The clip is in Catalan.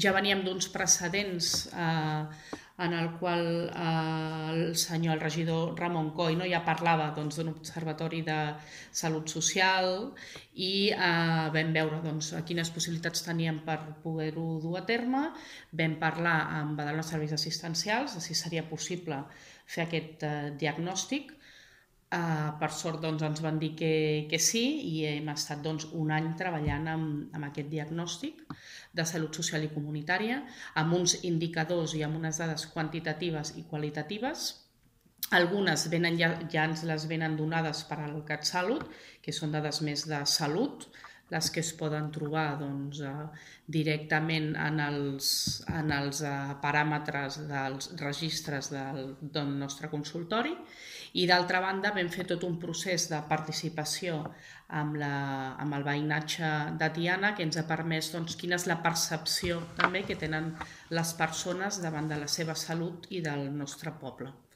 Ja veníem d'uns precedents en el qual el regidor Ramon Coll ja parlava d'un observatori de salut social i vam veure quines possibilitats teníem per poder-ho dur a terme. Vam parlar amb Badalona Serveis Assistencials de si seria possible fer aquest diagnòstic. Per sort ens van dir que sí i hem estat un any treballant amb aquest diagnòstic de salut social i comunitària, amb uns indicadors i amb unes dades quantitatives i qualitatives. Algunes ja ens les venen donades per al CatSalut, que són dades més de salut, les que es poden trobar directament en els paràmetres dels registres del nostre consultori, i d'altra banda vam fer tot un procés de participació amb el veïnatge de Tiana que ens ha permès quina és la percepció també que tenen les persones davant de la seva salut i del nostre poble.